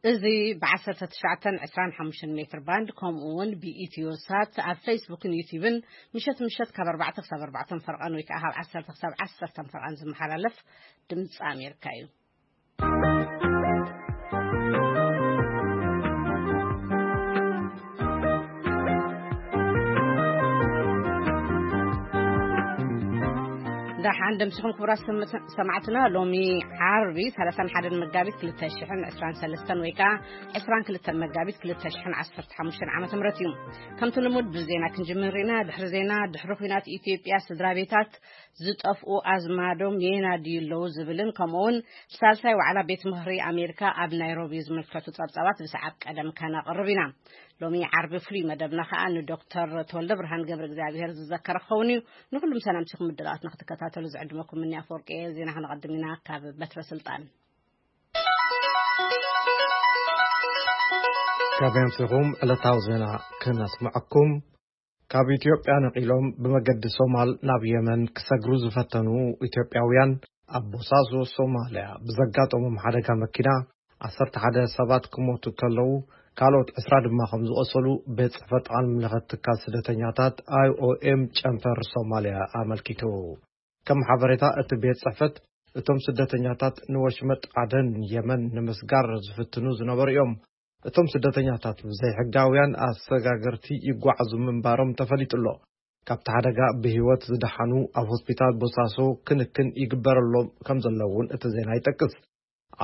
እዚ ብ19፣ 25 ሜትር ባንድ፣ ከምኡ እውን ብኢትዮ ሳት ኣብ ፌስቡክን ዩቲዩብን ምሸት ምሸት ካብ ኣርባዕተ ክሳብ ኣርባዕተ ፈርቓን ወይ ከዓ ካብ ዓሰርተ ክሳብ ዓሰርተ ፈርቓን ዝመሓላለፍ ድምፂ ኣሜሪካ እዩ። ደሓን ደምስኹም ክቡራት ሰማዕትና። ሎሚ ዓርቢ ሰላሳን ሓደን መጋቢት ክልተ ሽሕን ዕስራን ሰለስተን ወይ ከዓ ዕስራን ክልተን መጋቢት ክልተ ሽሕን ዓሰርተ ሓሙሽተን ዓመተ ምህረት እዩ። ከምቲ ልሙድ ብዜና ክንጅምር ኢና። ድሕሪ ዜና፣ ድሕሪ ኲናት ኢትዮጵያ ስድራ ቤታት ዝጠፍኡ ኣዝማዶም የናድዩ ኣለዉ ዝብልን ከምኡውን ሳልሳይ ዋዕላ ቤት ምኽሪ ኣሜሪካ ኣብ ናይሮቢ ዝምልከቱ ጸብጻባት ብሰዓብ ቀደም ከነቕርብ ኢና። ሎሚ ዓርቢ ፍሉይ መደብና ከኣ ንዶክተር ተወልደ ብርሃን ገብረ እግዚኣብሔር ዝዘከር ክኸውን እዩ። ንኹሉም ሰላምቲኹም ምድላዋትና ክትከታተሉ ዝዕድመኩም ምኒ ኣፈወርቂ እየ። ዜና ከነቐድም ኢና ካብ በትረ ስልጣን። ካብ ኣምሲኹም ዕለታዊ ዜና ክነስምዐኩም። ካብ ኢትዮጵያ ነቒሎም ብመገዲ ሶማል ናብ የመን ክሰግሩ ዝፈተኑ ኢትዮጵያውያን ኣብ ቦሳሶ ሶማልያ ብዘጋጠሞም ሓደጋ መኪና ዓሰርተ ሓደ ሰባት ክሞቱ ከለዉ፣ ካልኦት ዕስራ ድማ ከም ዝቖሰሉ ቤት ጽሕፈት ዓለም ለኸ ትካል ስደተኛታት፣ ኣይ ኦ ኤም፣ ጨንፈር ሶማልያ ኣመልኪቱ። ከም ሓበሬታ እቲ ቤት ጽሕፈት፣ እቶም ስደተኛታት ንወሽመጥ ዓደን የመን ንምስጋር ዝፍትኑ ዝነበሩ እዮም። እቶም ስደተኛታት ብዘይሕጋውያን ኣሰጋገርቲ ይጓዓዙ ምንባሮም ተፈሊጡ ኣሎ። ካብቲ ሓደጋ ብህይወት ዝደሓኑ ኣብ ሆስፒታል ቦሳሶ ክንክን ይግበረሎም ከም ዘሎ እውን እቲ ዜና ይጠቅስ።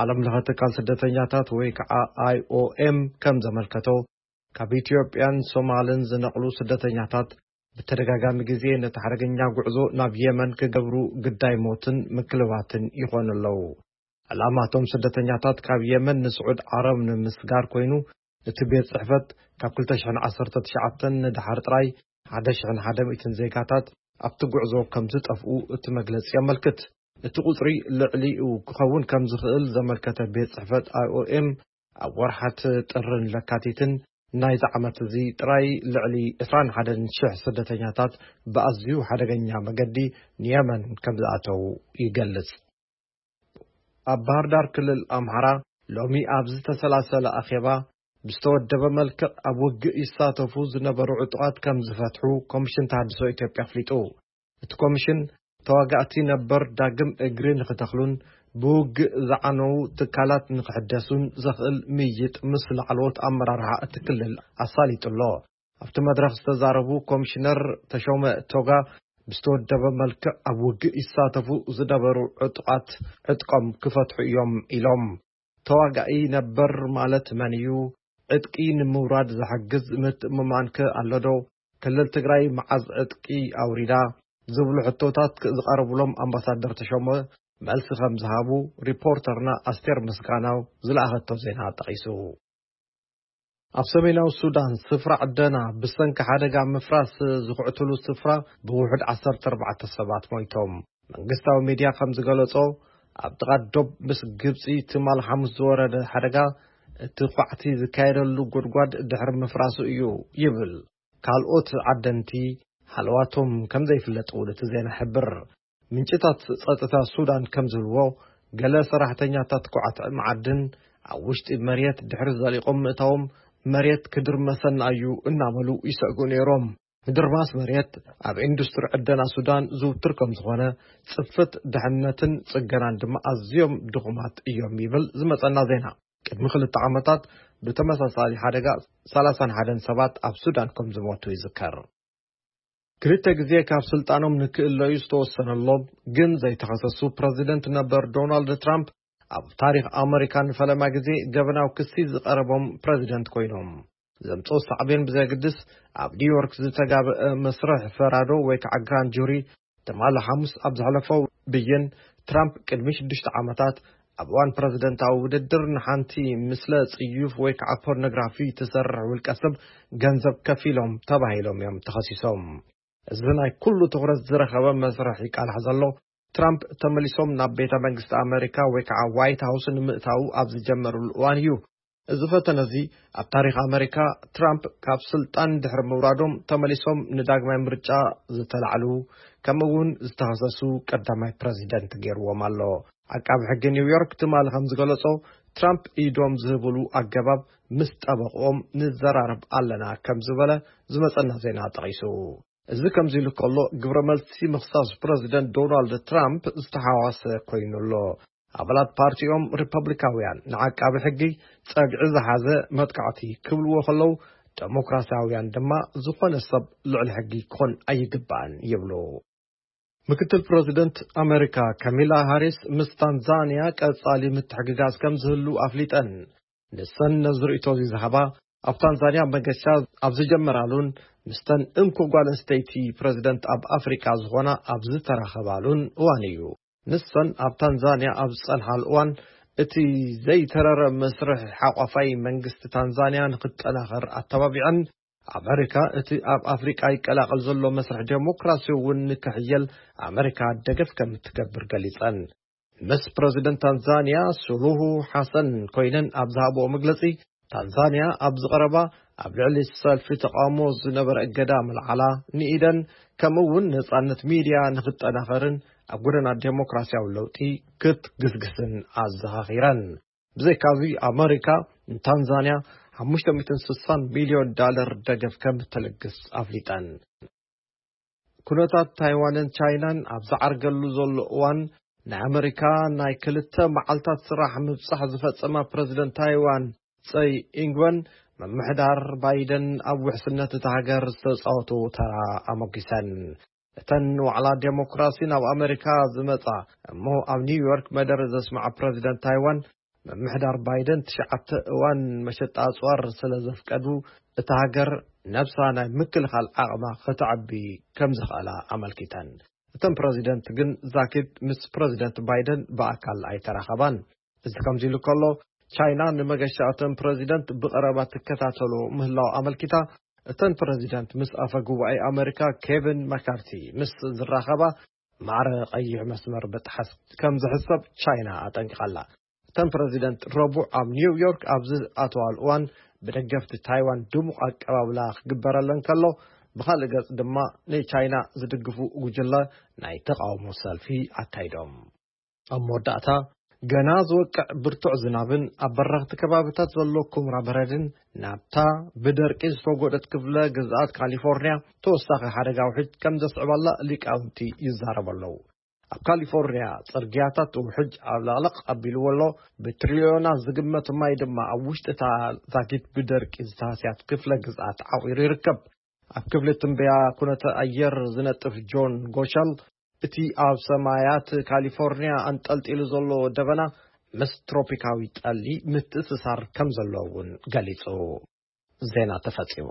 ዓለም ለኸ ትካል ስደተኛታት ወይ ከዓ ኣይ ኦ ኤም ከም ዘመልከቶ፣ ካብ ኢትዮጵያን ሶማልን ዝነቕሉ ስደተኛታት ብተደጋጋሚ ግዜ ነቲ ሓደገኛ ጉዕዞ ናብ የመን ክገብሩ ግዳይ ሞትን ምክልባትን ይኾኑ ኣለዉ። ዕላማ እቶም ስደተኛታት ካብ የመን ንስዑድ ዓረብ ንምስጋር ኮይኑ፣ እቲ ቤት ጽሕፈት ካብ ክልተ ሽሕን ዓሰርተ ትሽዓተን ንደሓር ጥራይ ሓደ ሽሕን ሓደ ሚእትን ዜጋታት ኣብቲ ጉዕዞ ከም ዝጠፍኡ እቲ መግለጺ የመልክት። እቲ ቁጽሪ ልዕሊኡ ክኸውን ከም ዝኽእል ዘመልከተ ቤት ጽሕፈት ኣይ ኦ ኤም፣ ኣብ ወርሓት ጥርን ለካቲትን ናይዚ ዓመት እዚ ጥራይ ልዕሊ ዕስራን ሓደን ሽሕ ስደተኛታት ብኣዝዩ ሓደገኛ መገዲ ንየመን ከም ዝኣተዉ ይገልጽ። ኣብ ባህር ዳር ክልል ኣምሓራ ሎሚ ኣብ ዝተሰላሰለ ኣኼባ፣ ብዝተወደበ መልክዕ ኣብ ውግእ ይሳተፉ ዝነበሩ ዕጡቓት ከም ዝፈትሑ ኮሚሽን ተሃድሶ ኢትዮጵያ ኣፍሊጡ። እቲ ኮሚሽን፣ ተዋጋእቲ ነበር ዳግም እግሪ ንኽተኽሉን ብውግእ ዝዓነዉ ትካላት ንኽሕደሱን ዘኽእል ምይይጥ ምስ ላዕለዎት ኣመራርሓ እቲ ክልል ኣሳሊጡ ኣሎ። ኣብቲ መድረኽ ዝተዛረቡ ኮሚሽነር ተሾመ ቶጋ፣ ብዝተወደበ መልክዕ ኣብ ውግእ ይሳተፉ ዝነበሩ ዕጡቓት ዕጥቆም ክፈትሑ እዮም ኢሎም። ተዋጋኢ ነበር ማለት መን እዩ? ዕጥቂ ንምውራድ ዝሕግዝ ምትእምማንከ ኣሎ ዶ? ክልል ትግራይ መዓዝ ዕጥቂ ኣውሪዳ? ዝብሉ ሕቶታት ዝቐረቡሎም ኣምባሳደር ተሾመ፣ መልሲ ከም ዝሃቡ ሪፖርተርና ኣስቴር ምስጋናው ዝለኣኸቶ ዜና ጠቒሱ። ኣብ ሰሜናዊ ሱዳን፣ ስፍራ ዕደና ብሰንኪ ሓደጋ ምፍራስ ዝኹዕትሉ ስፍራ ብውሑድ ዓሰርተ ኣርባዕተ ሰባት ሞይቶም። መንግስታዊ ሚድያ ከም ዝገለጾ፣ ኣብ ጥቓ ዶብ ምስ ግብጺ ትማል ሓሙስ ዝወረደ ሓደጋ፣ እቲ ኳዕቲ ዝካየደሉ ጉድጓድ ድሕሪ ምፍራሱ እዩ ይብል። ካልኦት ዓደንቲ ሃለዋቶም ከም ዘይፍለጥ እውን እቲ ዜና ይሕብር። ምንጭታት ጸጥታ ሱዳን ከም ዝብልዎ፣ ገለ ሰራሕተኛታት ኳዕቲ መዓድን ኣብ ውሽጢ መሬት ድሕሪ ዘሊቖም ምእታዎም፣ መሬት ክድርመሰና እዩ እናበሉ ይሰግኡ ነይሮም። ምድርማስ መሬት ኣብ ኢንዱስትሪ ዕደና ሱዳን ዝውትር ከም ዝኾነ፣ ጽፍት ድሕነትን ጽገናን ድማ ኣዝዮም ድኹማት እዮም ይብል ዝመጸና ዜና። ቅድሚ ክልተ ዓመታት ብተመሳሳሊ ሓደጋ ሰላሳን ሓደን ሰባት ኣብ ሱዳን ከም ዝሞቱ ይዝከር። ክልተ ግዜ ካብ ስልጣኖም ንክእለዩ ዝተወሰነሎም ግን ዘይተኸሰሱ ፕረዚደንት ነበር ዶናልድ ትራምፕ፣ ኣብ ታሪኽ ኣመሪካ ንፈለማ ግዜ ገበናዊ ክሲ ዝቐረቦም ፕረዚደንት ኮይኖም። ዘምጽኦ ሳዕቤን ብዘግድስ፣ ኣብ ኒውዮርክ ዝተጋብአ መስርሕ ፈራዶ ወይ ከዓ ግራንድ ጁሪ፣ ትማሊ ሓሙስ ኣብ ዘሕለፎ ብይን፣ ትራምፕ ቅድሚ ሽዱሽተ ዓመታት ኣብ እዋን ፕረዚደንታዊ ውድድር ንሓንቲ ምስለ ጽዩፍ ወይ ከዓ ፖርኖግራፊ ትሰርሕ ውልቀ ሰብ ገንዘብ ከፊሎም ተባሂሎም እዮም ተኸሲሶም። እዚ ናይ ኩሉ ትኹረት ዝረኸበ መስርሕ ይቃላሕ ዘሎ፣ ትራምፕ ተመሊሶም ናብ ቤተ መንግስቲ ኣመሪካ ወይ ከዓ ዋይት ሃውስ ንምእታዉ ኣብ ዝጀመሩሉ እዋን እዩ። እዚ ፈተነ እዚ ኣብ ታሪኽ ኣመሪካ፣ ትራምፕ ካብ ስልጣን ድሕሪ ምውራዶም ተመሊሶም ንዳግማይ ምርጫ ዝተላዕሉ፣ ከምኡ እውን ዝተኸሰሱ ቀዳማይ ፕረዚደንት ገይርዎም ኣሎ። ዓቃቢ ሕጊ ኒውዮርክ ትማሊ ከም ዝገለጾ፣ ትራምፕ ኢዶም ዝህብሉ ኣገባብ ምስ ጠበቕኦም ንዘራረብ ኣለና ከም ዝበለ ዝመጸና ዜና ጠቒሱ። እዚ ከምዚ ኢሉ ከሎ፣ ግብረ መልሲ ምኽሳስ ፕረዚደንት ዶናልድ ትራምፕ ዝተሓዋሰ ኮይኑ ኣሎ። ኣባላት ፓርቲኦም ሪፐብሊካውያን ንዓቃቢ ሕጊ ጸግዒ ዝሓዘ መጥቃዕቲ ክብልዎ ከለዉ፣ ደሞክራሲያውያን ድማ ዝኾነ ሰብ ልዕሊ ሕጊ ክኾን ኣይግባእን ይብሉ። ምክትል ፕረዚደንት ኣመሪካ ካሚላ ሃሪስ ምስ ታንዛንያ ቀጻሊ ምትሕግጋዝ ከም ዝህሉ ኣፍሊጠን። ንሰን ነዚ ርእይቶ እዚ ዝሃባ ኣብ ታንዛንያ መገሻ ኣብ ዝጀመራሉን ምስተን እንኮ ጓል ኣንስተይቲ ፕረዚደንት ኣብ ኣፍሪቃ ዝኾና ኣብ ዝተራኸባሉን እዋን እዩ። ንሰን ኣብ ታንዛንያ ኣብ ዝጸንሓሉ እዋን እቲ ዘይተረረ መስርሕ ሓቋፋይ መንግስቲ ታንዛንያ ንክጠናኸር ኣተባቢዐን፣ ኣመሪካ እቲ ኣብ ኣፍሪቃ ይቀላቐል ዘሎ መስርሕ ዴሞክራሲ እውን ንክሕየል ኣመሪካ ደገፍ ከም እትገብር ገሊጸን። ምስ ፕረዚደንት ታንዛንያ ሱሉሁ ሓሰን ኮይነን ኣብ ዝሃብኦ መግለጺ፣ ታንዛንያ ኣብዚ ቀረባ ኣብ ልዕሊ ሰልፊ ተቃውሞ ዝነበረ እገዳ ምልዓላ፣ ንኢደን ከምኡ እውን ነጻነት ሚድያ ንክጠናኸርን ኣብ ጎደና ዴሞክራሲያዊ ለውጢ ክትግስግስን ኣዘኻኺረን። ብዘይካዚ ኣመሪካ ንታንዛንያ ሓሙሽተ ሚእትን ስሳን ሚልዮን ዳለር ደገፍ ከም እትልግስ ኣፍሊጠን። ኩነታት ታይዋንን ቻይናን ኣብ ዝዓርገሉ ዘሎ እዋን፣ ናይ ኣመሪካ ናይ ክልተ መዓልታት ስራሕ ምብጻሕ ዝፈጸማ ፕረዚደንት ታይዋን ጸይ ኢንግወን፣ ምምሕዳር ባይደን ኣብ ውሕስነት እታ ሃገር ዝተጻወቶ ተራ ኣሞጊሰን። እተን ዋዕላ ዴሞክራሲ ናብ ኣመሪካ ዝመጻ እሞ ኣብ ኒውዮርክ መደረ ዘስምዓ ፕረዚደንት ታይዋን፣ ምምሕዳር ባይደን ትሽዓተ እዋን መሸጣ ኣጽዋር ስለ ዘፍቀዱ፣ እታ ሃገር ነብሳ ናይ ምክልኻል ዓቕማ ከተዕቢ ከም ዝኽእላ ኣመልኪተን። እተን ፕረዚደንት ግን ዛኪት ምስ ፕረዚደንት ባይደን ብኣካል ኣይተራኸባን። እዚ ከምዚ ኢሉ ከሎ፣ ቻይና ንመገሻ እተን ፕረዚደንት ብቐረባ ትከታተሎ ምህላው ኣመልኪታ፣ እተን ፕረዚደንት ምስ ኣፈ ጉባኤ ኣመሪካ ኬቪን መካርቲ ምስ ዝራኸባ ማዕረ ቀይሕ መስመር ምጥሓስ ከም ዝሕሰብ ቻይና ኣጠንቂቓ ኣላ። እተን ፕረዚደንት ረቡዕ ኣብ ኒውዮርክ ኣብ ዝኣተዋሉ እዋን፣ ብደገፍቲ ታይዋን ድሙቕ ኣቀባብላ ክግበረለን ከሎ፣ ብኻልእ ገጽ ድማ ንቻይና ዝድግፉ ጉጅለ ናይ ተቓውሞ ሰልፊ ኣካይዶም። ኣብ መወዳእታ፣ ገና ዝወቅዕ ብርቱዕ ዝናብን ኣብ በረኽቲ ከባብታት ዘሎ ኩምራ በረድን ናብታ ብደርቂ ዝተጎደት ክፍለ ግዝኣት ካሊፎርኒያ ተወሳኺ ሓደጋ ውሕጅ ከም ዘስዕባላ ሊቃውንቲ ይዛረቡ ኣለዉ። ኣብ ካሊፎርኒያ ጽርግያታት ውሕጅ ኣብ ለቕለቕ ኣቢልዎ ኣሎ። ብትሪልዮናት ዝግመት ማይ ድማ ኣብ ውሽጢ እታ ዛጊት ብደርቂ ዝተሃስያት ክፍለ ግዝኣት ዓቑሩ ይርከብ። ኣብ ክፍሊ ትንበያ ኩነተ ኣየር ዝነጥፍ ጆን ጎሸል፣ እቲ ኣብ ሰማያት ካሊፎርኒያ ኣንጠልጢሉ ዘሎ ደበና ምስ ትሮፒካዊ ጠሊ ምትእስሳር ከም ዘሎ እውን ገሊጹ። ዜና ተፈጺሙ።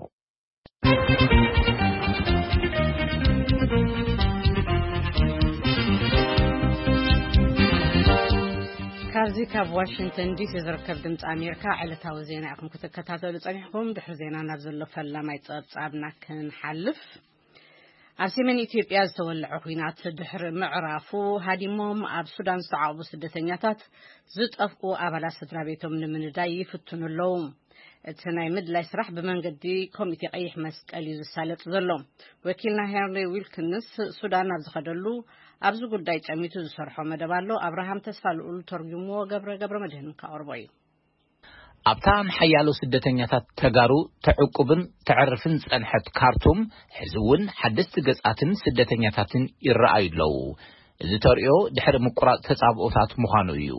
ካብዚ ካብ ዋሽንግተን ዲሲ ዝርከብ ድምፂ ኣሜሪካ ዕለታዊ ዜና ኢኹም ክትከታተሉ ጸኒሕኩም። ድሕሪ ዜና ናብ ዘሎ ፈላማይ ጸብጻብና ክንሓልፍ። ኣብ ሰሜን ኢትዮጵያ ዝተወለዐ ኲናት ድሕሪ ምዕራፉ፣ ሃዲሞም ኣብ ሱዳን ዝተዓቑቡ ስደተኛታት ዝጠፍኡ ኣባላት ስድራ ቤቶም ንምንዳይ ይፍትኑ ኣለዉ። እቲ ናይ ምድላይ ስራሕ ብመንገዲ ኮሚቴ ቀይሕ መስቀል እዩ ዝሳለጥ ዘሎ። ወኪልና ሄንሪ ዊልኪንስ ሱዳን ኣብ ዝኸደሉ፣ ኣብዚ ጉዳይ ጸሚቱ ዝሰርሖ መደብ ኣሎ። ኣብርሃም ተስፋ ልኡል ተርጉምዎ፣ ገብረ ገብረ መድህን ከቕርቦ እዩ። ኣብታ ንሓያሎ ስደተኛታት ተጋሩ ተዕቁብን ተዕርፍን ዝጸንሐት ካርቱም፣ ሕዚ እውን ሓደስቲ ገጻትን ስደተኛታትን ይረኣዩ ኣለዉ። እዚ ተርእዮ ድሕሪ ምቁራጽ ተጻብኦታት ምዃኑ እዩ።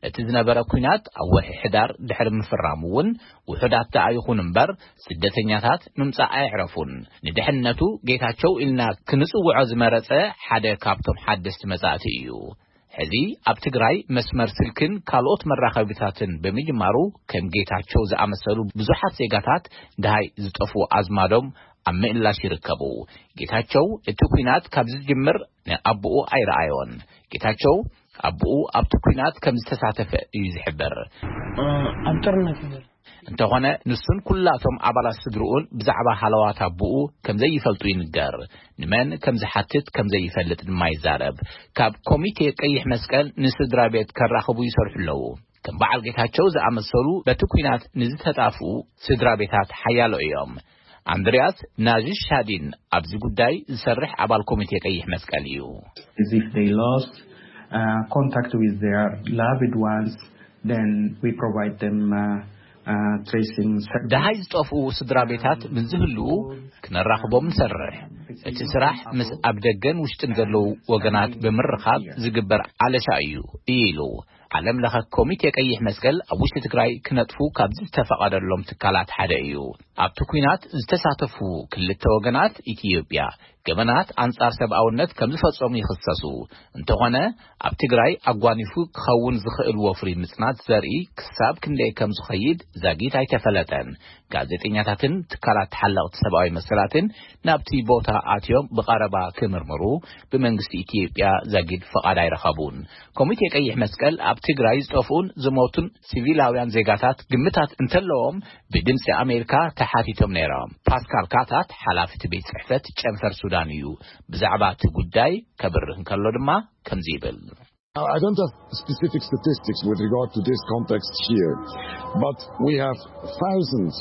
እቲ ዝነበረ ኲናት ኣብ ወርሒ ሕዳር ድሕሪ ምፍራሙ እውን፣ ውሑዳት ደኣ ይኹኑ እምበር፣ ስደተኛታት ምምጻእ ኣየዕረፉን። ንድሕነቱ ጌታቸው ኢልና ክንጽውዖ ዝመረጸ ሓደ ካብቶም ሓደስቲ መጻእቲ እዩ። ሕዚ ኣብ ትግራይ መስመር ስልክን ካልኦት መራኸቢታትን ብምጅማሩ፣ ከም ጌታቸው ዝኣመሰሉ ብዙሓት ዜጋታት ደሃይ ዝጠፍኡ ኣዝማዶም ኣብ ምእላሽ ይርከቡ። ጌታቸው እቲ ኲናት ካብ ዝጅምር ንኣቦኡ ኣይረኣዮን። ጌታቸው ኣቦኡ ኣብቲ ኲናት ከም ዝተሳተፈ እዩ ዝሕብር። ኣብ ጦርነት እዩ ዘሎ። እንተኾነ፣ ንሱን ኩላቶም ኣባላት ስድርኡን ብዛዕባ ሃለዋት ኣቦኡ ከም ዘይፈልጡ ይንገር። ንመን ከም ዝሓትት ከም ዘይፈልጥ ድማ ይዛረብ። ካብ ኮሚቴ ቀይሕ መስቀል ንስድራ ቤት ከራኽቡ ይሰርሑ ኣለዉ። ከም በዓል ጌታቸው ዝኣመሰሉ በቲ ኲናት ንዝተጣፍኡ ስድራ ቤታት ሓያሎ እዮም። ኣንድሪያስ ናዥሻዲን ኣብዚ ጉዳይ ዝሰርሕ ኣባል ኮሚቴ ቀይሕ መስቀል እዩ። As if they lost, uh, contact with their loved ones. then we provide them uh, uh, tracing service. ደሃይ ዝጠፍኡ ስድራ ቤታት ምስ ዝህልዉ ክነራኽቦም ንሰርሕ። እቲ ስራሕ ምስ ኣብ ደገን ውሽጥን ዘለዉ ወገናት ብምርኻብ ዝግበር ኣለሻ እዩ ኢሉ። ዓለም ለኸ ኮሚቴ ቀይሕ መስቀል ኣብ ውሽጢ ትግራይ ክነጥፉ ካብ ዝተፈቐደሎም ትካላት ሓደ እዩ። ኣብቲ ኲናት ዝተሳተፉ ክልተ ወገናት ኢትዮጵያ ገበናት ኣንጻር ሰብኣውነት ከም ዝፈጸሙ ይኽሰሱ። እንተኾነ ኣብ ትግራይ ኣጓኒፉ ክኸውን ዝኽእል ወፍሪ ምጽናት ዘርኢ ክሳብ ክንደይ ከም ዝኸይድ ዛጊት ኣይተፈለጠን። ጋዜጠኛታትን ትካላት ተሓለቕቲ ሰብኣዊ መሰላትን ናብቲ ቦታ ኣትዮም ብቐረባ ክምርምሩ ብመንግስቲ ኢትዮጵያ ዛጊድ ፍቓድ ኣይረኸቡን። ኮሚቴ ቀይሕ መስቀል ኣብ ትግራይ ዝጠፍኡን ዝሞቱን ሲቪላውያን ዜጋታት ግምታት እንተለዎም ብድምፂ ኣሜሪካ ተሓቲቶም ነይሮም። ፓስካል ካታት ሓላፊ እቲ ቤት ጽሕፈት ጨንፈር ሱዳን እዩ። ብዛዕባ እቲ ጉዳይ ከብርህ እንከሎ ድማ ከምዚ ይብል። I don't have specific statistics with regard to this context here, but we have thousands.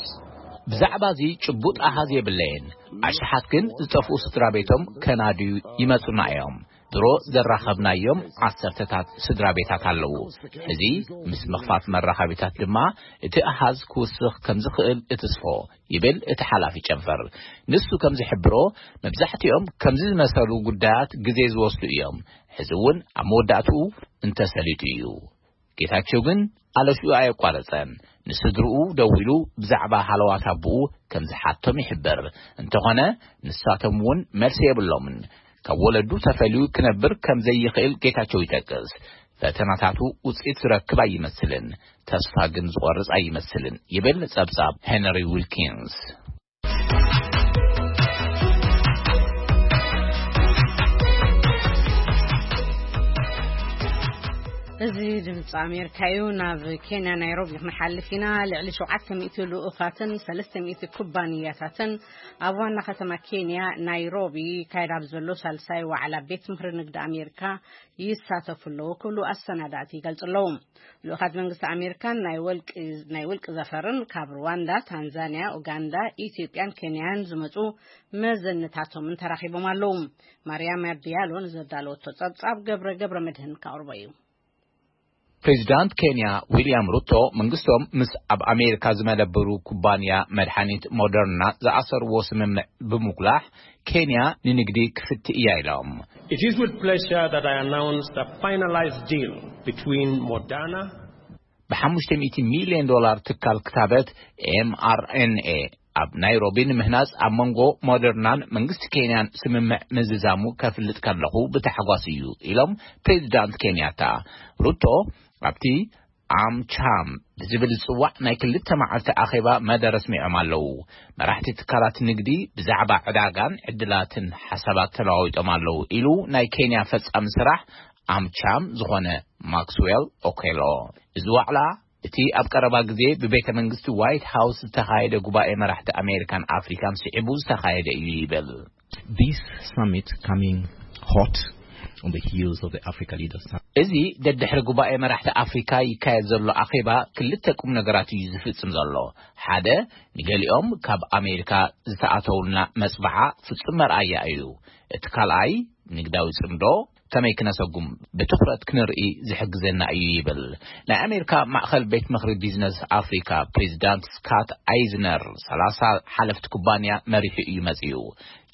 ብዛዕባ እዚ ጭቡጥ ኣሃዝ የብለየን። ኣሽሓት ግን ዝጠፍኡ ስድራ ቤቶም ከናድዩ ይመጹና እዮም። ድሮ ዘራኸብናዮም ዓሰርተታት ስድራ ቤታት ኣለዉ። እዚ ምስ ምኽፋት መራኸቢታት ድማ እቲ ኣሃዝ ክውስኽ ከም ዝኽእል እትስፎ ይብል እቲ ሓላፊ ጨንፈር። ንሱ ከም ዝሕብሮ መብዛሕትኦም ከምዚ ዝመሰሉ ጉዳያት ግዜ ዝወስዱ እዮም። ሕዚ እውን ኣብ መወዳእትኡ እንተሰሊጡ እዩ። ጌታቸው ግን ኣለሽኡ ኣየቋረጸን። ንስድርኡ ደዊሉ ብዛዕባ ሃለዋት ኣቦኡ ከም ዝሓቶም ይሕብር። እንተኾነ ንሳቶም እውን መልሲ የብሎምን። ካብ ወለዱ ተፈልዩ ክነብር ከም ዘይኽእል ጌታቸው ይጠቅስ። ፈተናታቱ ውፅኢት ዝረክብ ኣይመስልን፣ ተስፋ ግን ዝቆርጽ ኣይመስልን ይብል ጸብጻብ ሄነሪ ዊልኪንስ። እዚ ድምፂ ኣሜሪካ እዩ። ናብ ኬንያ ናይሮቢ ክንሓልፍ ኢና። ልዕሊ ሸውዓተ ሚእቲ ልኡኻትን ሰለስተ ሚእቲ ኩባንያታትን ኣብ ዋና ከተማ ኬንያ ናይሮቢ ይካየድ ኣብ ዘሎ ሳልሳይ ዋዕላ ቤት ምኽሪ ንግዲ ኣሜሪካ ይሳተፉ ኣለዉ ክብሉ ኣሰናዳእቲ ይገልጹ ኣለዉ። ልኡኻት መንግስቲ ኣሜሪካን ናይ ወልቂ ናይ ውልቂ ዘፈርን ካብ ሩዋንዳ፣ ታንዛንያ፣ ኡጋንዳ፣ ኢትዮጵያን ኬንያን ዝመጹ መዘንታቶምን ተራኺቦም ኣለዉ። ማርያም ዲያሎ ንዘዳለወቶ ጸብጻብ ገብረ ገብረ መድህን ካቕርቦ እዩ። ፕሬዚዳንት ኬንያ ዊልያም ሩቶ መንግስቶም ምስ ኣብ ኣሜሪካ ዝመደብሩ ኩባንያ መድሓኒት ሞደርና ዝኣሰርዎ ስምምዕ ብምጉላሕ ኬንያ ንንግዲ ክፍቲ እያ ኢሎም። It is with pleasure that I announce the finalized deal between Moderna ብ ሓሙሽተ ሚእቲ ሚልዮን ዶላር ትካል ክታበት ኤምኣርኤንኤ ኣብ ናይሮቢ ንምህናጽ ኣብ መንጎ ሞደርናን መንግስቲ ኬንያን ስምምዕ ምዝዛሙ ከፍልጥ ከለኹ ብታሕጓስ እዩ ኢሎም ፕሬዚዳንት ኬንያታ። ሩቶ ኣብቲ ኣምቻም ብዝብል ዝጽዋዕ ናይ ክልተ መዓልቲ ኣኼባ መደረ ኣስሚዖም ኣለዉ። መራሕቲ ትካላት ንግዲ ብዛዕባ ዕዳጋን ዕድላትን ሓሳባት ተለዋዊጦም ኣለዉ ኢሉ ናይ ኬንያ ፈጻሚ ስራሕ ኣምቻም ዝኾነ ማክስዌል ኦኬሎ። እዚ ዋዕላ እቲ ኣብ ቀረባ ግዜ ብቤተ መንግስቲ ዋይት ሃውስ ዝተኻየደ ጉባኤ መራሕቲ ኣሜሪካን ኣፍሪካን ስዒቡ ዝተኻየደ እዩ ይብል። This summit coming hot on the heels of the Africa Leaders Summit. እዚ ደድሕሪ ጉባኤ መራሕቲ ኣፍሪካ ይካየድ ዘሎ ኣኼባ ክልተ ቁም ነገራት እዩ ዝፍጽም ዘሎ። ሓደ፣ ንገሊኦም ካብ ኣሜሪካ ዝተኣተውልና መጽባዓ ፍጹም መርኣያ እዩ። እቲ ካልኣይ፣ ንግዳዊ ጽምዶ ከመይ ክነሰጉም ብትኹረት ክንርኢ ዝሕግዘና እዩ ይብል። ናይ ኣሜሪካ ማእኸል ቤት ምኽሪ ቢዝነስ ኣፍሪካ ፕሬዚዳንት ስካት ኣይዝነር ሰላሳ ሓለፍቲ ኩባንያ መሪሑ እዩ መጺኡ።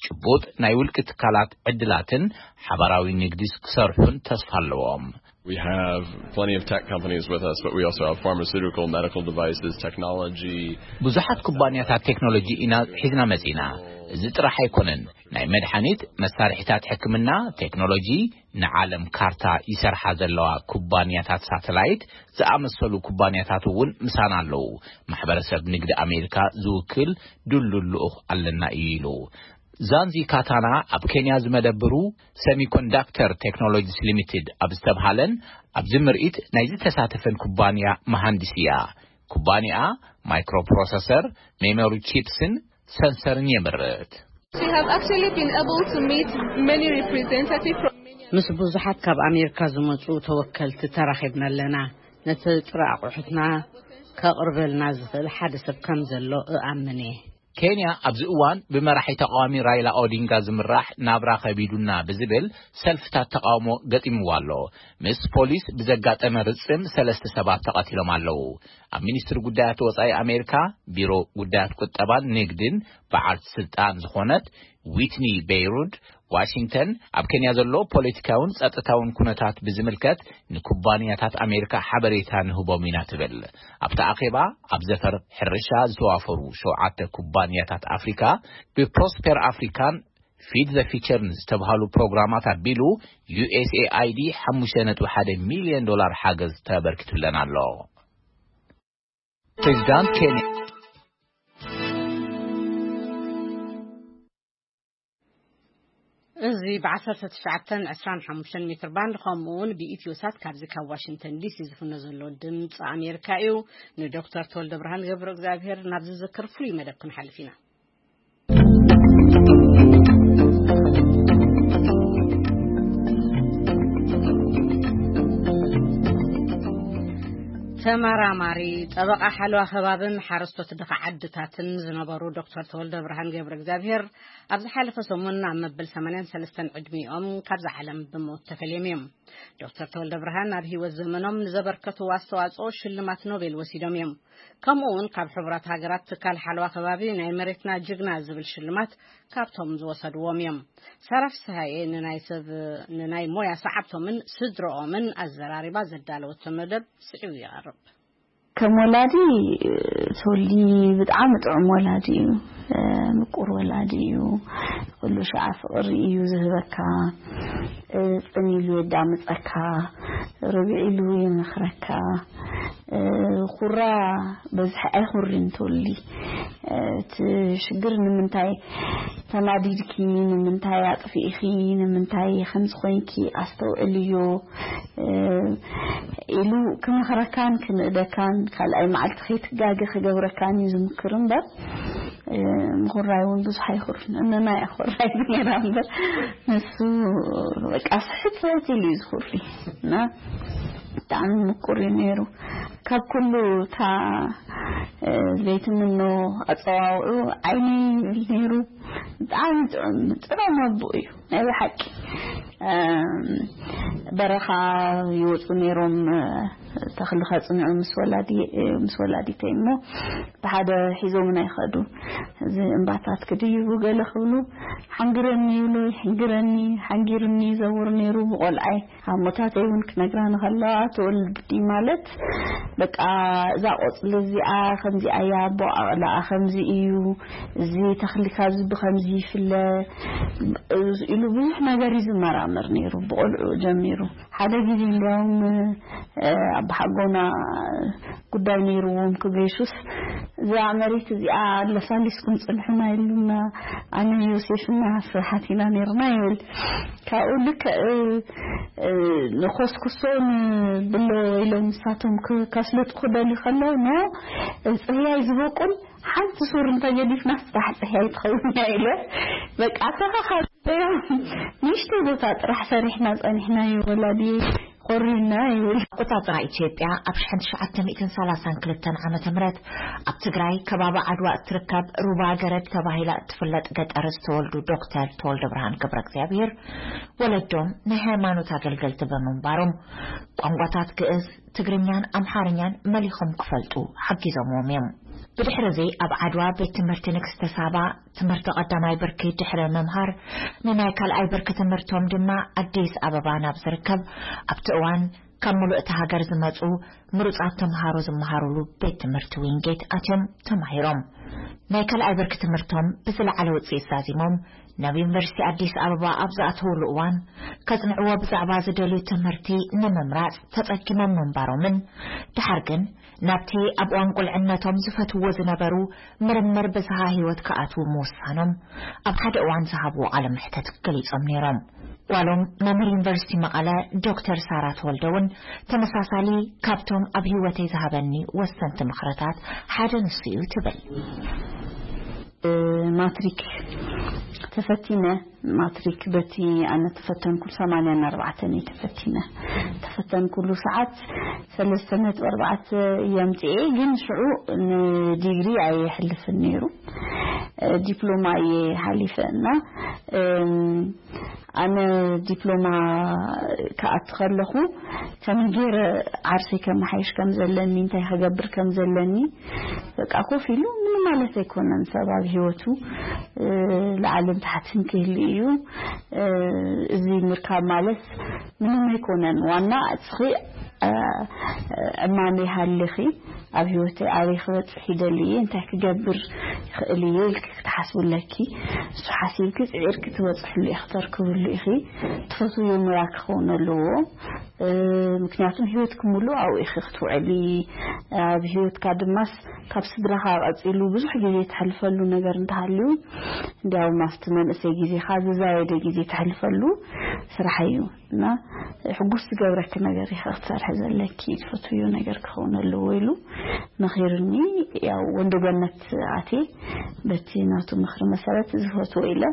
ጭቡጥ ናይ ውልቂ ትካላት ዕድላትን ሓባራዊ ንግዲ ክሰርሑን ተስፋ ኣለዎም። We have plenty of tech companies with us, but we also have pharmaceutical, medical devices, technology. ብዙሓት ኩባንያታት ቴክኖሎጂ ኢና ሒዝና መጺና። እዚ ጥራሕ ኣይኮነን። ናይ መድሓኒት፣ መሳርሒታት ሕክምና፣ ቴክኖሎጂ፣ ንዓለም ካርታ ይሰርሓ ዘለዋ ኩባንያታት ሳተላይት ዝኣመሰሉ ኩባንያታት እውን ምሳና ኣለዉ። ማሕበረሰብ ንግዲ ኣሜሪካ ዝውክል ድሉል ልኡኽ ኣለና እዩ ኢሉ። ዛንዚ ካታና ኣብ ኬንያ ዝመደብሩ ሰሚኮንዳክተር ቴክኖሎጂስ ሊሚትድ ኣብ ዝተብሃለን ኣብዚ ምርኢት ናይ ዝተሳተፈን ኩባንያ መሃንዲስ እያ። ኩባንያ ማይክሮፕሮሰሰር፣ ሜሞሪ ቺፕስን ሰንሰርን የምርት። We have actually been able to meet many representatives from many. ምስ ብዙሓት ካብ ኣሜሪካ ዝመጹ ተወከልቲ ተራኺብና ኣለና። ነቲ ጥረ ኣቑሑትና ከቕርበልና ዝኽእል ሓደ ሰብ ከም ዘሎ እኣምን እየ። ኬንያ ኣብዚ እዋን ብመራሒ ተቃዋሚ ራይላ ኦዲንጋ ዝምራሕ ናብራ ከቢዱና ብዝብል ሰልፍታት ተቃውሞ ገጢምዋ ኣሎ። ምስ ፖሊስ ብዘጋጠመ ርጽም ሰለስተ ሰባት ተቐቲሎም ኣለዉ። ኣብ ሚኒስትሪ ጉዳያት ወጻኢ ኣሜሪካ ቢሮ ጉዳያት ቁጠባን ንግድን በዓልቲ ስልጣን ዝኾነት ዊትኒ ቤይሩድ፣ ዋሽንግተን ኣብ ኬንያ ዘሎ ፖለቲካውን ጸጥታውን ኩነታት ብዝምልከት ንኩባንያታት ኣሜሪካ ሓበሬታ ንህቦም ኢና ትብል። ኣብቲ ኣኼባ ኣብ ዘፈር ሕርሻ ዝተዋፈሩ ሸውዓተ ኩባንያታት ኣፍሪካ ብፕሮስፐር ኣፍሪካን ፊድ ዘ ፊቸርን ዝተብሃሉ ፕሮግራማት ኣቢሉ ዩ ኤስ ኤ ኣይ ዲ ሓሙሽተ ነጥቢ ሓደ ሚልዮን ዶላር ሓገዝ ተበርኪቱለን ኣሎ። ፕሬዚዳንት ኬንያ እዚ ብ1925 ሜትር ባንድ ከምኡ እውን ብኢትዮ ሳት ካብዚ ካብ ዋሽንግተን ዲሲ ዝፍኖ ዘሎ ድምፂ ኣሜሪካ እዩ። ንዶክተር ተወልደ ብርሃን ገብረ እግዚኣብሔር ናብ ዝዝክር ፍሉይ መደብ ክንሓልፍ ኢና። ተመራማሪ፣ ጠበቓ ሓለዋ ከባብን ሓረስቶት ድኻ ዓድታትን ዝነበሩ ዶክተር ተወልደ ብርሃን ገብረ እግዚኣብሔር ኣብ ዝሓለፈ ሰሙን ኣብ መበል 83 ዕድሚኦም ካብዛ ዓለም ብሞት ተፈልዮም እዮም። ዶክተር ተወልደ ብርሃን ኣብ ህይወት ዘመኖም ንዘበርከትዎ ኣስተዋፅኦ ሽልማት ኖቤል ወሲዶም እዮም። ከምኡ እውን ካብ ሕቡራት ሃገራት ትካል ሓለዋ ከባቢ ናይ መሬትና ጅግና ዝብል ሽልማት ካብቶም ዝወሰድዎም እዮም። ሳራ ፍስሃየ ንናይ ሰብ ንናይ ሞያ ሰዓብቶምን ስድረኦምን ኣዘራሪባ ዘዳለወቶ መደብ ስዒቡ ይቐርብ። ከም ወላዲ ተወልዲ ብጣዕሚ ጥዑም ወላዲ እዩ። ምቁር ወላዲ እዩ። ኩሉ ሸዓ ፍቕሪ እዩ ዝህበካ። ጽን ኢሉ የዳምጸካ። ርብዒ ኢሉ ይመኽረካ። ኩራ በዝሒ ኣይኹርን ተወልዲ። እቲ ሽግር ንምንታይ ተናዲድኪ፣ ንምንታይ ኣጥፊእኺ፣ ንምንታይ ከምዚ ኮይንኪ ኣስተውዕልዮ ኢሉ ክመኽረካን ክንእደካን ካልኣይ መዓልቲ ከይትጋገ ክገብረካን እዩ ዝምክር እምበር ምኹራይ እውን ብዙሕ ኣይኹርን። እነና እያ ኮራይ ነራ እምበር ንሱ በቃ ስሕት ስሕት ኢሉ እዩ ዝኹሪ እና ብጣዕሚ ምቁር እዩ ነይሩ። ካብ ኩሉ እታ ዘይትምኖ ኣፀዋውዑ ዓይኒ ይብል ነይሩ። ብጣዕሚ ጥዑም ጥዑም ኣቦ እዩ ናይ ብሓቂ። በረኻ ይወፁ ነይሮም ተኽሊ ከፅንዑ ምስ ወላዲተይ እሞ ብሓደ ሒዞምን ኣይኸዱ። እዚ እምባታት ክድይቡ ገለ ክብሉ ሓንግረኒ ይብሉ፣ ይሕንግረኒ፣ ሓንጊሩኒ ይዘውር ነይሩ ብቆልዓይ። ኣሞታተይ እውን ክነግራኒ ከለዋ ተወልዲ ማለት በቃ እዛ ቆፅሊ እዚኣ ከምዚኣ እያ፣ ኣቦኣቕላኣ ከምዚ እዩ፣ እዚ ተኽሊ ካብዚ ብከምዚ ይፍለ ኢሉ ብዙሕ ነገር እዩ ዝመራመር ነይሩ ብቆልዑ ጀሚሩ። ሓደ ግዜ እንዲያውም ኣቦሓጎና ጉዳይ ነይርዎም ክገሹስ እዛ መሬት እዚኣ ኣለሳሊስኩም ፅንሑና ኢሉና ኣነ ዮሴፍና ስራሓት ኢና ነይርና ይብል። ካብኡ ልክዕ ንኮስኩሶ ንብሎ ኢሎም ንሳቶም ከስልጡ ክደልዩ ከለዉ ኖ ፅህያይ ዝበቁል ሓንቲ ሱር እንተገዲፍና ስራሕ ፅህያይ ትኸውን እያ ኢለ በቃ ተኸኻቢኦም ንእሽተይ ቦታ ጥራሕ ሰሪሕና ፀኒሕና እዩ ወላዲ ኮሪና ይብል። ኣቆፃፅራ ኢትዮጵያ ኣብ ሽሕን ትሽዓተ ሚእትን ሰላሳን ክልተን ዓመተ ምህረት ኣብ ትግራይ ከባቢ ዓድዋ እትርከብ ሩባ ገረድ ተባሂላ እትፍለጥ ገጠር ዝተወልዱ ዶክተር ተወልደ ብርሃን ገብረ እግዚኣብሔር ወለዶም ናይ ሃይማኖት ኣገልገልቲ ብምንባሮም ቋንቋታት ግእዝ፣ ትግርኛን ኣምሓርኛን መሊኾም ክፈልጡ ሓጊዞምዎም እዮም። ብድሕሪ እዚ ኣብ ዓድዋ ቤት ትምህርቲ ንግስተ ሳባ ትምህርቲ ቀዳማይ ብርኪ ድሕሪ ምምሃር ንናይ ካልኣይ ብርኪ ትምህርቶም ድማ ኣዲስ ኣበባ ናብ ዝርከብ ኣብቲ እዋን ካብ ምሉእ እታ ሃገር ዝመጹ ምሩጻት ተምሃሮ ዝመሃሩሉ ቤት ትምህርቲ ዊንጌት ኣትዮም ተማሂሮም። ናይ ካልኣይ ብርኪ ትምህርቶም ብዝለዓለ ውጽኢት ዛዚሞም ናብ ዩኒቨርሲቲ ኣዲስ ኣበባ ኣብ ዝኣተውሉ እዋን ከጽንዕዎ ብዛዕባ ዝደልዩ ትምህርቲ ንምምራጽ ተጸጊሞም ምንባሮምን ድሓር ግን ናብቲ ኣብ እዋን ቁልዕነቶም ዝፈትውዎ ዝነበሩ ምርምር ብዝሃ ህይወት ክኣትዉ ምውሳኖም ኣብ ሓደ እዋን ዝሃብዎ ቃለ መሕተት ገሊጾም ነይሮም። ጓሎም መምህር ዩኒቨርሲቲ መቐለ ዶክተር ሳራ ተወልደ እውን ተመሳሳሊ ካብቶም ኣብ ህይወተይ ዝሃበኒ ወሰንቲ ምኽርታት ሓደ ንሱ እዩ ትብል። ማትሪክ ተፈቲነ ማትሪክ በቲ ኣነ ተፈተንኩሉ ሰማንያን ኣርባዕተን እየ ተፈቲነ ተፈተንኩሉ ሰዓት ሰለስተ ነጥቢ ኣርባዕተ እየ ኣምፅኤ ግን ሽዑ ንዲግሪ ኣየሕልፍን ነይሩ ዲፕሎማ እየ ሓሊፈ እና ኣነ ዲፕሎማ ክኣቱ ከለኹ ከመይ ገይረ ዓርሰይ ከመሓይሽ ከም ዘለኒ እንታይ ክገብር ከም ዘለኒ በቃ ኮፍ ኢሉ ምንም ማለት ኣይኮነን። ሰብ ኣብ ህይወቱ ላዕልን ታሕትን ክህሉ እዩ። እዚ ምርካብ ማለት ምንም ኣይኮነን። ዋና እስኺ ዕማመይ ሃልኺ ኣብ ህይወተይ ኣበይ ክበፅሕ ይደሊ እየ እንታይ ክገብር ይኽእል እየ ኢልኪ ክትሓስቡ ኣለኪ። እሱ ሓሲብኪ ፅዒርኪ ትበፅሕሉ ኢኺ ክተርክብሉ ኢኺ። ትፈትውዮ ሞያ ክኸውን ኣለዎ። ምክንያቱም ህይወትኪ ሙሉእ ኣብኡ ኢኺ ክትውዕሊ። ኣብ ህይወትካ ድማስ ካብ ስድራኻ ቀፂሉ ብዙሕ ግዜ ተሕልፈሉ ነገር እንተሃልዩ እንዲያውም ኣብቲ መንእሰይ ግዜኻ ዝዛየደ ግዜ ተሕልፈሉ ስራሕ እዩ። እና ሕጉስ ዝገብረኪ ነገር ኢኻ ክትሰርሒ ዘለኪ ትፈትውዮ ነገር ክኸውን ኣለዎ ኢሉ መኺርኒ። ያው ወንዶ ገነት ኣትየ በቲ ናቱ ምኽሪ መሰረት ዝፈትዎ ኢለ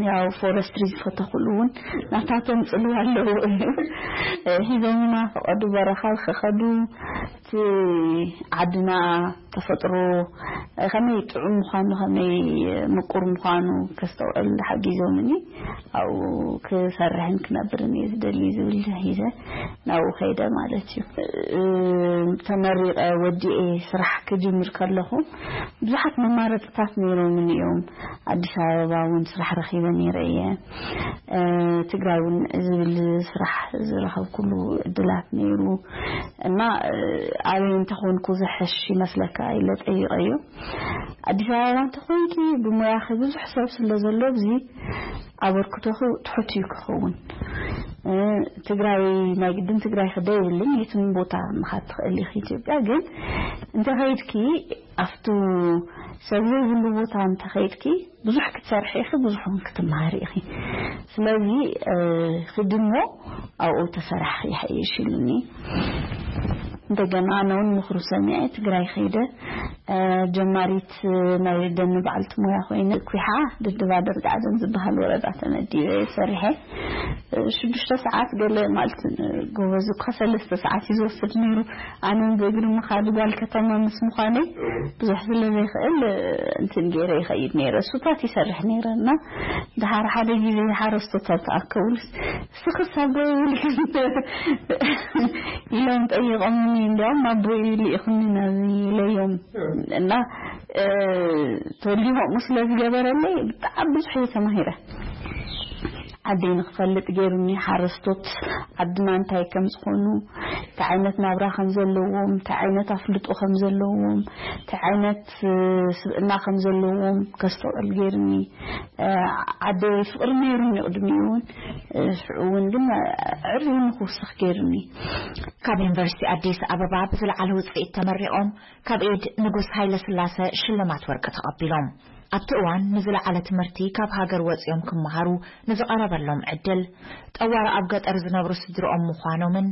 ያው ፎረስትሪ ዝፈተኹሉ እውን ናታቶም ፅልዋ ኣለዎ እዩ። ሒዞምና ፈቐዱ በረኻ ክኸዱ እቲ ዓድና ተፈጥሮ ከመይ ጥዑም ምዃኑ ከመይ ምቁር ምዃኑ ከስተውዕል ሓጊዞምኒ። ኣብኡ ክሰርሕን ክነብርን እየ ዝደሊ ዝብል ሒዘ ናብኡ ከይደ ማለት እዩ። ተመሪቐ ወዲኤ ስራሕ ክጅምር ከለኹ ብዙሓት መማረፅታት ነይሮምኒ እዮም። ኣዲስ ኣበባ እውን ስራሕ ረኺበ ነይረ እየ። ትግራይ እውን ዝብል ስራሕ ዝረኸብኩሉ እድላት ነይሩ እና ኣበይ እንተኾንኩ ዝሕሽ ይመስለካ ኢለ ጠይቀዮ። ኣዲስ ኣበባ እንተኾንኪ ብሞያኺ ብዙሕ ሰብ ስለ ዘሎ ኣብዚ ኣበርክቶኺ ትሑት እዩ ክኸውን። ትግራይ ናይ ግድን ትግራይ ክደ ይብልን የትም ቦታ ምኻድ ትኽእል ኢኺ ኢትዮጵያ ግን እንተኸይድኪ ኣብቱ ሰብ ዘይብሉ ቦታ እንተኸይድኪ ብዙሕ ክትሰርሒ ኢኺ ብዙሕ ክትመሃሪ ኢኺ። ስለዚ ክድሞ ኣብኡ ተሰራሕኺ ይሓይሽ ኢሉኒ። እንደገና ኣነ እውን ምኽሩ ሰሚዐ ትግራይ ከይደ ጀማሪት ናይ ደኒ በዓልቲ ሞያ ኮይነ ኩሓ ድድባ ደርጋዕደን ዝበሃል ወረዳ ተመዲበ ሰሪሐ። ሽዱሽተ ሰዓት ገለ ማለት ጎበዝ እኳ ሰለስተ ሰዓት እዩ ዝወስድ ነይሩ። ኣነ ብእግሪ ምኻድ ጓል ከተማ ምስ ምዃነይ ብዙሕ ስለ ዘይኽእል እንትን ገይረ ይኸይድ ነይረ። እሱታት ይሰርሕ ነይረ እና ድሓር ሓደ ግዜ ሓረስቶታት ተኣከቡልስ ስኽስ ኣቦ ይብልክን ኢሎም ጠይቆምኒ። እንዲያውም ኣቦይ ልኢኹኒ ናብ ኢለዮም እና ተወልዲ ከምኡ ስለ ዝገበረለይ ብጣዕሚ ብዙሕ እየ ተማሂረ። ዓደይ ንክፈልጥ ገይሩኒ ሓረስቶት ዓድና እንታይ ከም ዝኾኑ እንታይ ዓይነት ናብራ ከም ዘለዎም እንታይ ዓይነት ኣፍልጦ ከም ዘለዎም እንታይ ዓይነት ስብእና ከም ዘለዎም ከስተውዕል ገይሩኒ። ዓደይ ፍቕሪ ነይሩኒ ቅድሚኡ እውን ሽዑ እውን ግን ዕርዩኒ ክውስኽ ገይሩኒ። ካብ ዩኒቨርሲቲ ኣዲስ ኣበባ ብዝለዓለ ውፅኢት ተመሪቖም ካብ ኢድ ንጉስ ሃይለ ስላሰ ሽልማት ወርቂ ተቐቢሎም። ኣብቲ እዋን ንዝለዓለ ትምህርቲ ካብ ሃገር ወፂኦም ክመሃሩ ንዝቐረበሎም ዕድል ጠዋሪ ኣብ ገጠር ዝነብሩ ስድርኦም ምዃኖምን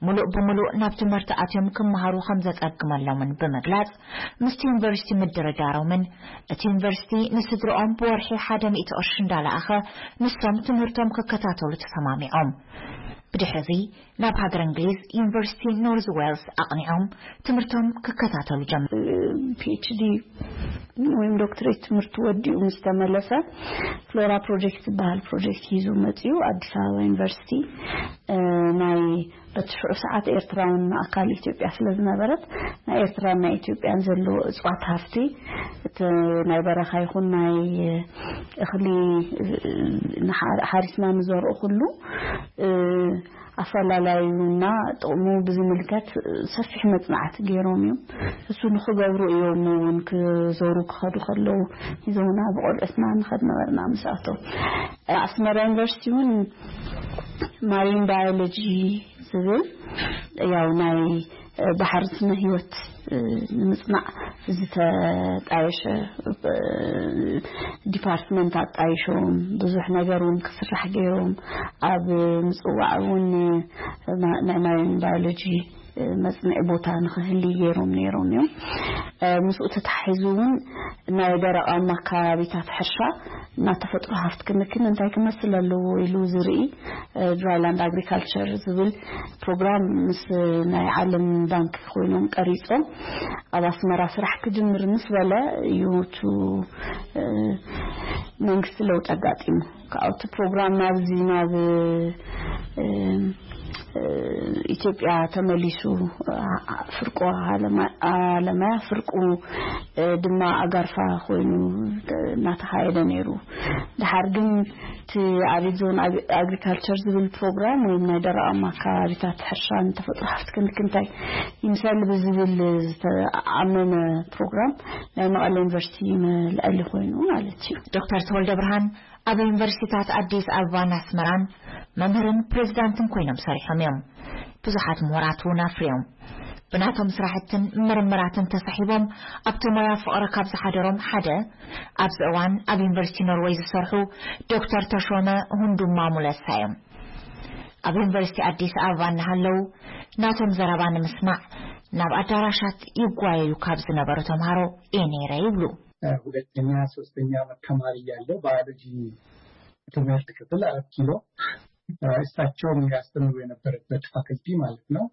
ሙሉእ ብሙሉእ ናብ ትምህርቲ ኣትዮም ክመሃሩ ከም ዘፀግመሎምን ብምግላፅ ምስቲ ዩኒቨርሲቲ ምድርዳሮምን እቲ ዩኒቨርሲቲ ንስድርኦም ብወርሒ ሓደ ሚእቲ ቅርሺ እንዳለኣኸ ንሶም ትምህርቶም ክከታተሉ ተሰማሚዖም። ብድሕሪ እዚ ናብ ሃገር እንግሊዝ ዩኒቨርሲቲ ኖርዝ ዌልስ ኣቕኒዖም ትምህርቶም ክከታተሉ ጀመሩ። ፒኤችዲ ወይም ዶክትሬት ትምህርቱ ወዲኡ ምስ ተመለሰ ፍሎራ ፕሮጀክት ዝበሃል ፕሮጀክት ሒዙ መፂኡ ኣዲስ ኣበባ ዩኒቨርሲቲ ናይ በቲ ሽዑ ሰዓት ኤርትራውን ኣካል ኢትዮጵያ ስለ ዝነበረት ናይ ኤርትራን ናይ ኢትዮጵያን ዘሎ እፅዋት ሃፍቲ እቲ ናይ በረኻ ይኹን ናይ እኽሊ ሓሪስና ንዘርኦ ኩሉ ኣፈላላዩና ጥቕሙ ብዝምልከት ሰፊሕ መፅናዕቲ ገይሮም እዮም። እሱ ንኽገብሩ እዮም እውን ክዞሩ ክኸዱ ከለዉ ሒዞምና ብቆልዑትና ንኸድ ነበርና ምስኣቶም። ኣስመራ ዩኒቨርሲቲ እውን ማሪን ባዮሎጂ ዝብል ያው ናይ ባሕሪ ስነ ህይወት ንምፅናዕ ዝተጣየሸ ዲፓርትመንት ኣጣይሾም ብዙሕ ነገር እውን ክስራሕ ገይሮም ኣብ ምፅዋዕ እውን ናይ ማሪን ባዮሎጂ መፅንዒ ቦታ ንክህሊ ገይሮም ነይሮም እዮም። ምስኡ ተታሒዙ እውን ናይ ደረቓማ ከባቢታት ሕርሻ እና ተፈጥሮ ሃፍቲ ክንክን እንታይ ክመስል ኣለዎ ኢሉ ዝርኢ ድራይላንድ ኣግሪካልቸር ዝብል ፕሮግራም ምስ ናይ ዓለም ባንክ ኮይኖም ቀሪጾም ኣብ ኣስመራ ስራሕ ክጅምር ምስ በለ እዩ እቲ መንግስቲ ለውጥ ኣጋጢሙ። ካብቲ ፕሮግራም ናብዚ ናብ ኢትዮጵያ ተመሊሱ ፍርቆ ኣለማያ ፍርቁ ድማ ኣጋርፋ ኮይኑ እናተኻየደ ነይሩ። ድሓር ግን እቲ ኣሪድ ዞን ኣግሪካልቸር ዝብል ፕሮግራም ወይም ናይ ደረቓማ ከባቢታት ሕርሻን ተፈጥሮ ሃፍቲ ክንክንታይ ይምሰል ብዝብል ዝተኣመመ ፕሮግራም ናይ መቐለ ዩኒቨርሲቲ መልዐሊ ኮይኑ ማለት እዩ። ዶክተር ተወልደ ብርሃን ኣብ ዩኒቨርሲቲታት ኣዲስ ኣበባን ኣስመራን መምህርን ፕሬዚዳንትን ኮይኖም ሰሪሖም እዮም። ብዙሓት ምሁራት እውን ኣፍርዮም። ብናቶም ስራሕትን ምርምራትን ተሳሒቦም ኣብቲ ሞያ ፍቕሪ ካብ ዝሓደሮም ሓደ ኣብዚ እዋን ኣብ ዩኒቨርሲቲ ኖርወይ ዝሰርሑ ዶክተር ተሾመ ሁንዱማ ሙለሳ እዮም። ኣብ ዩኒቨርሲቲ ኣዲስ ኣበባ እናሃለዉ ናቶም ዘረባ ንምስማዕ ናብ ኣዳራሻት ይጓየዩ ካብ ዝነበሩ ተምሃሮ እየ ነይረ ይብሉ። ሁለተኛ ሶስተኛ ዓመት ተማሪ ያለው ባዮሎጂ ትምህርት ክፍል አራት ኪሎ እሳቸውም ያስተምሩ የነበረበት ፋክልቲ ማለት ነው።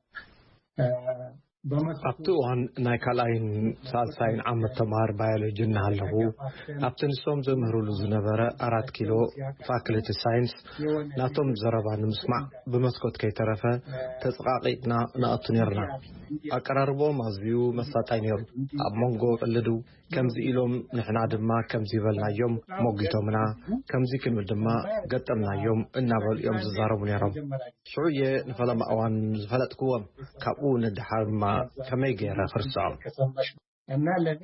ኣብቲ እዋን ናይ ካልኣይን ሳልሳይን ዓመት ተምሃር ባዮሎጂ እናሃለኹ ኣብቲ ንሶም ዘምህሩሉ ዝነበረ ኣራት ኪሎ ፋክልቲ ሳይንስ ናቶም ዘረባ ንምስማዕ ብመስኮት ከይተረፈ ተፀቓቒጥና ንኣቱ ነርና። ኣቀራርቦም ኣዝዩ መሳጣይ ነይሩ። ኣብ መንጎ ቅልዱ ከምዚ ኢሎም ንሕና ድማ ከምዚ በልናዮም ሞጊቶምና፣ ከምዚ ክንብል ድማ ገጠምናዮም እናበሉ እዮም ዝዛረቡ ነይሮም። ሽዑ እየ ንፈለማ እዋን ዝፈለጥክዎም። ካብኡ ንድሓር ድማ ከመይ ገይረ ክርስዖም?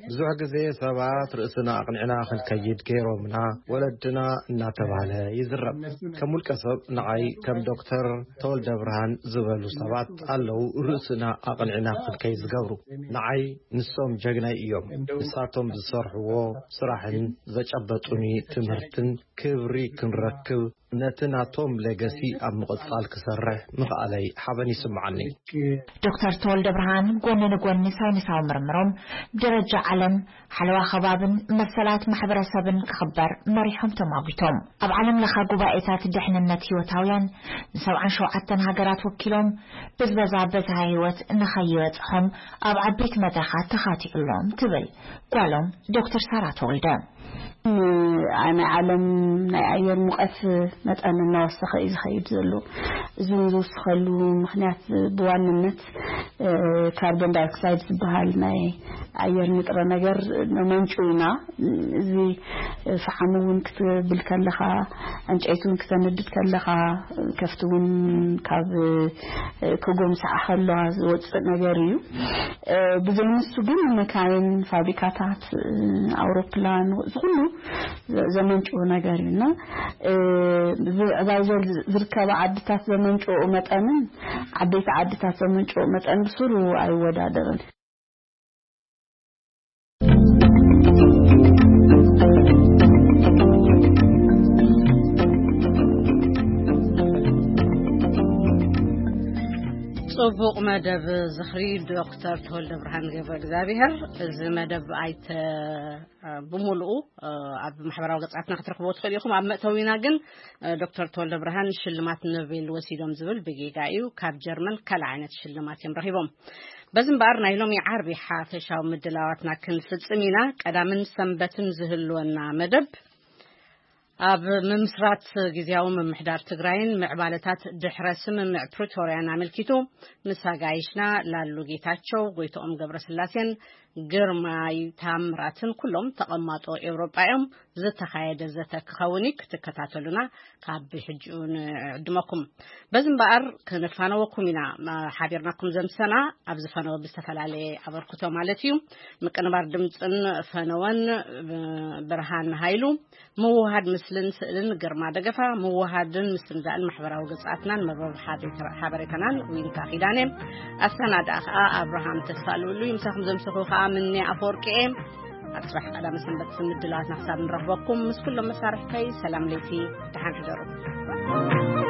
ብዙሕ ግዜ ሰባት ርእስና ኣቕኒዕና ክንከይድ ገይሮምና፣ ወለድና እናተባህለ ይዝረብ። ከም ውልቀ ሰብ ንዓይ ከም ዶክተር ተወልደ ብርሃን ዝበሉ ሰባት ኣለዉ ርእስና ኣቕኒዕና ክንከይድ ዝገብሩ። ንዓይ ንሶም ጀግናይ እዮም። ንሳቶም ዝሰርሕዎ ስራሕን ዘጨበጡኒ ትምህርትን ክብሪ ክንረክብ ነቲ ናቶም ሌገሲ ኣብ ምቕጻል ክሰርሕ ምኽኣለይ ሓበን ይስምዓኒ። ዶክተር ተወልደ ብርሃን ጎኒ ንጎኒ ሳይንሳዊ ምርምሮም ብደረጃ ዓለም ሓለዋ ከባብን መሰላት ማሕበረሰብን ክኽበር መሪሖም ተማጒቶም። ኣብ ዓለም ለኻ ጉባኤታት ድሕንነት ህይወታውያን ንሰብዓን ሸውዓተን ሃገራት ወኪሎም ብዝበዛ በዝሃ ህይወት ንኸይበጽሖም ኣብ ዓበይቲ መድረኻት ተኻቲዑሎም ትብል ጓሎም ዶክተር ሳራ ተወልደ። ናይ ዓለም ናይ ኣየር ሙቐት መጠን እናወሰኸ እዩ ዝኸይድ ዘሎ። እዚ እውን ዝውስኸሉ ምኽንያት ብዋንነት ካርቦን ዳይኦክሳይድ ዝበሃል ናይ ኣየር ንጥረ ነገር ነመንጩ ኢና። እዚ ፈሓም እውን ክትብል ከለኻ፣ ዕንጨይቲ እውን ክተነድድ ከለኻ፣ ከፍቲ እውን ካብ ክጎምስዓ ከለዋ ዝወፅእ ነገር እዩ። ብዘይ ንሱ ግን መካይን፣ ፋብሪካታት፣ ኣውሮፕላን፣ እዚ ኩሉ ዘመንጭዎ ነገር እዩ እና ብዕባይ ዝርከባ ዓድታት ዘመንጭዎ መጠንን ዓበይቲ ዓድታት ዘመንጭዎ መጠን ብስሩ ኣይወዳደርን። ጽቡቕ መደብ ዝኽሪ ዶክተር ተወልደ ብርሃን ገብረ እግዚኣብሔር። እዚ መደብ ኣይተ ብምሉኡ ኣብ ማሕበራዊ ገጻትና ክትረኽብዎ ትኽእሉ ኢኹም። ኣብ መእተዊና ግን ዶክተር ተወልደ ብርሃን ሽልማት ኖቤል ወሲዶም ዝብል ብጌጋ እዩ። ካብ ጀርመን ካልእ ዓይነት ሽልማት እዮም ረኺቦም። በዚ እምበኣር ናይ ሎሚ ዓርቢ ሓፈሻዊ ምድላዋትና ክንፍጽም ኢና። ቀዳምን ሰንበትን ዝህልወና መደብ ኣብ ምምስራት ግዝያዊ ምምሕዳር ትግራይን ምዕባለታት ድሕረ ስምምዕ ፕሪቶርያን ኣመልኪቱ ምስ ኣጋይሽና ላሉ ጌታቸው፣ ጎይትኦም ገብረስላሴን ግርማይ ታምራትን ኩሎም ተቐማጦ ኤውሮጳ እዮም ዝተኻየደ ዘተ ክኸውን እዩ። ክትከታተሉና ካብ ሕጂኡ ንዕድመኩም። በዚ እምበኣር ክንፋነወኩም ኢና። ሓቢርናኩም ዘምሰና ኣብዚ ፈነወ ብዝተፈላለየ ኣበርክቶ ማለት እዩ። ምቅንባር ድምፅን ፈነወን ብርሃን ሃይሉ፣ ምውሃድ ምስልን ስእልን ግርማ ደገፋ፣ ምውሃድን ምስንዳእን ማሕበራዊ ገጻትናን መርበብ ሓበሬታናን ዊንታ ኪዳነ፣ ኣሰናድኣ ከኣ ኣብርሃም ተስፋ ልውሉ እዩ። ምሳኹም ዘምሰኹ ከኣ ምኔ ኣፈወርቂ እየ። ኣብ ጽባሕ ቀዳመ ሰንበት ምድላዋትና ክሳብ ንረኽበኩም ምስ ኩሎም መሳርሕተይ ሰላም ለይቲ፣ ደሓን ሕደሩ።